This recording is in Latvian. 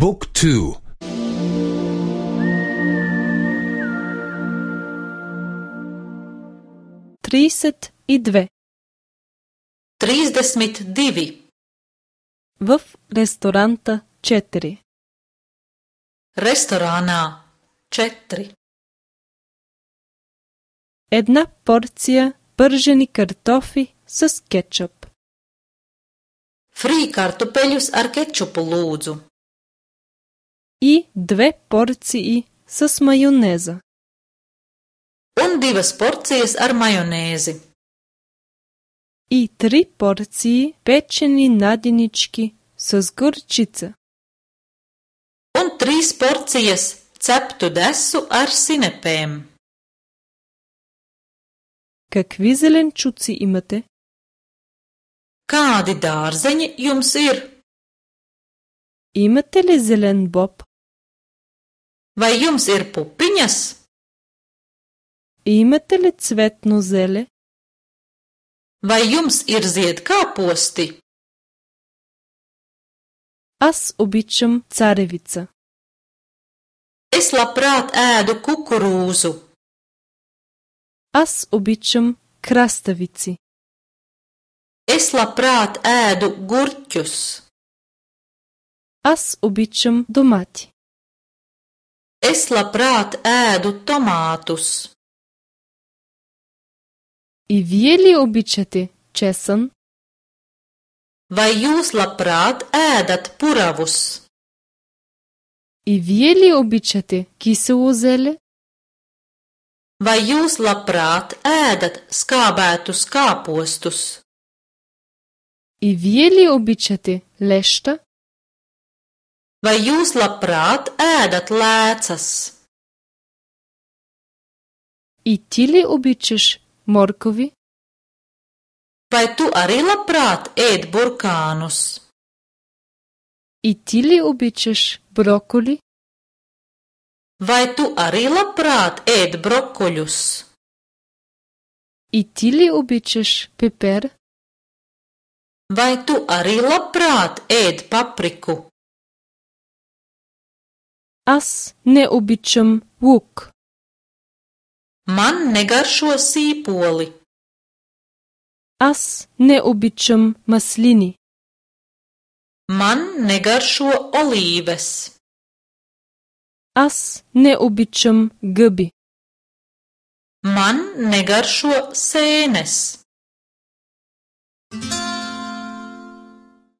บุ๊กทู32 32 в ресторанта 4 Restorānā 4 Една порция пържени картофи с кетчуп. Frī kartupeļus ar kečupu lūdzu. И 2 порции с майонеза. Un 2 porcijas ar majonēzi. И 3 порции печени наденички с горчица. Un 3 porcijas ceptu desu ar sinepēm. Какви зеленчуци имате? Kādi dārzeņi jums ir? Имате ли зелен боб? Vai jums ir pupiņas? Имате ли цветно зеле? Vai jums ir ziedkāposti? Аз обичам царевица. Es labprāt ēdu kukurūzu. Аз обичам краставици. Es labprāt ēdu gurķus. Аз обичам домати. Es labprāt ēdu tomātus. И вие ли обичате чесън? Vai jūs labprāt ēdat puravus? И вие ли обичате кисело зеле? Vai jūs labprāt ēdat skābētus kāpostus? И вие ли обичате леща? Vai jūs labprāt ēdat lēcas? И ти ли обичаш моркови? Vai tu arī labprāt ēd burkānus? И ти ли обичаш броколи? Vai tu arī labprāt ēd brokoļus? И ти ли обичаш пепер? Vai tu arī labprāt ēd papriku? Аз не обичам лук. Man negaršo sīpoli. Аз не обичам маслини. Man negaršo olīves. Аз не обичам гъби. Man negaršo sēnes.